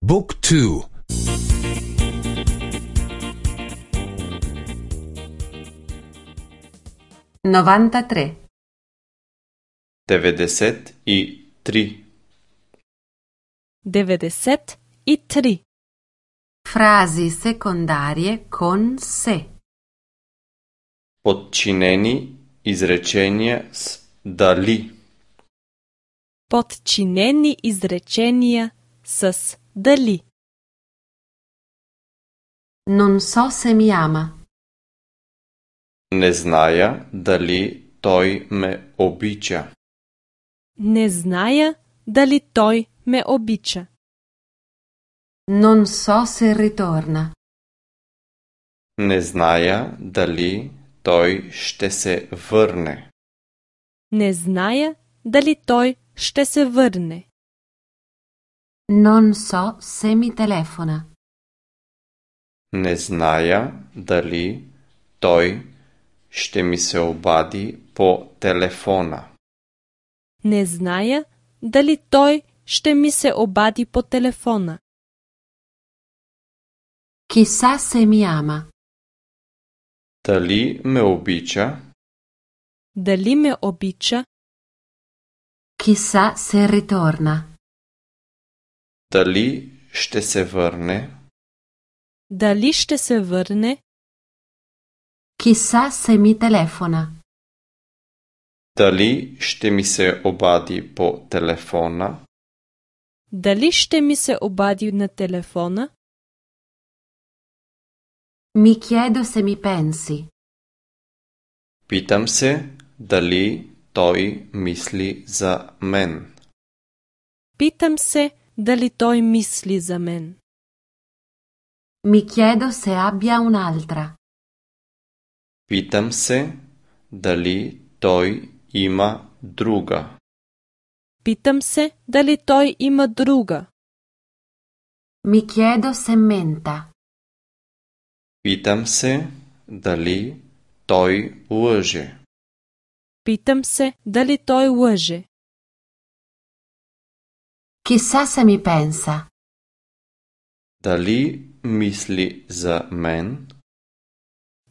บุ๊กทู93 93 93 frasi secondarie con se. Подчинени изречения с дали. Подчинени изречения с дали. Non so se mi ama. Не зная дали той ме обича. Не зная дали той ме обича. Non so se ritorna. Не зная дали той ще се върне. Не зная дали той ще се върне. Non so se mi telefona. Не зная дали той ще ми се обади по телефона. Не зная дали той ще ми се обади по телефона. Chissà se mi ama. Дали ме обича? Дали ме обича? Chissà se ritorna. Дали ще се върне? Дали ще се върне? Chissà se mi telefona. Дали ще ми се обади по телефона? Дали ще ми се обади на телефона? Mi chiedo se mi pensi. Питам се дали той мисли за мен. Питам се дали той мисли за мен. Mi chiedo se abbia un'altra. Питам се дали той има друга. Питам се дали той има друга. Mi chiedo se menta. Питам се дали той лъже. Питам се дали той лъже. Chissà se mi pensa. Дали мисли за мен?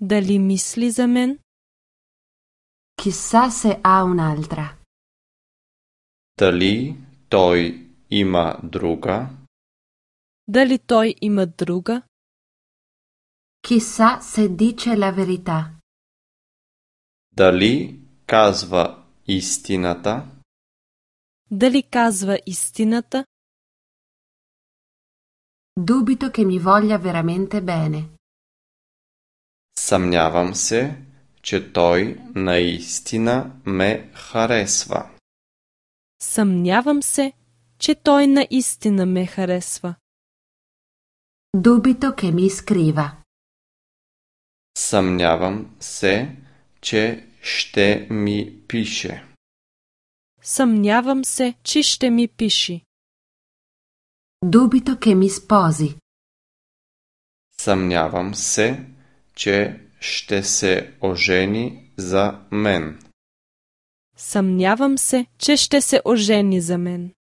Дали мисли за мен? Chissà se ha un'altra. Дали той има друга? Дали той има друга? Chissà se dice la verità. Дали казва истината? Дали казва истината? Dubito che mi voglia veramente bene. Съмнявам се, че той наистина ме харесва. Съмнявам се, че той наистина ме харесва. Dubito che mi scriva. Съмнявам се, че ще ми пише. Съмнявам се, че ще ми пише. Dubito che mi sposi. Съмнявам се, че ще се ожени за мен. Съмнявам се, че ще се ожени за мен.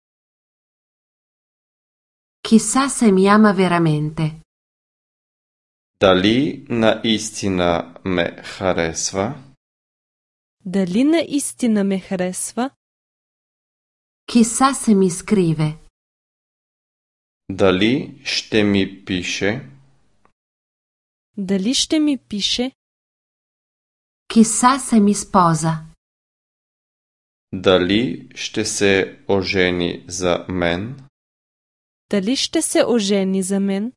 Chissà se mi ama veramente. Дали наистина ме харесва? Дали наистина ме харесва? Chissà se mi scrive. Дали ще ми пише? Дали ще ми пише? Chissà se mi sposa. Дали ще се ожени за мен? Дали ще се ожени за мен?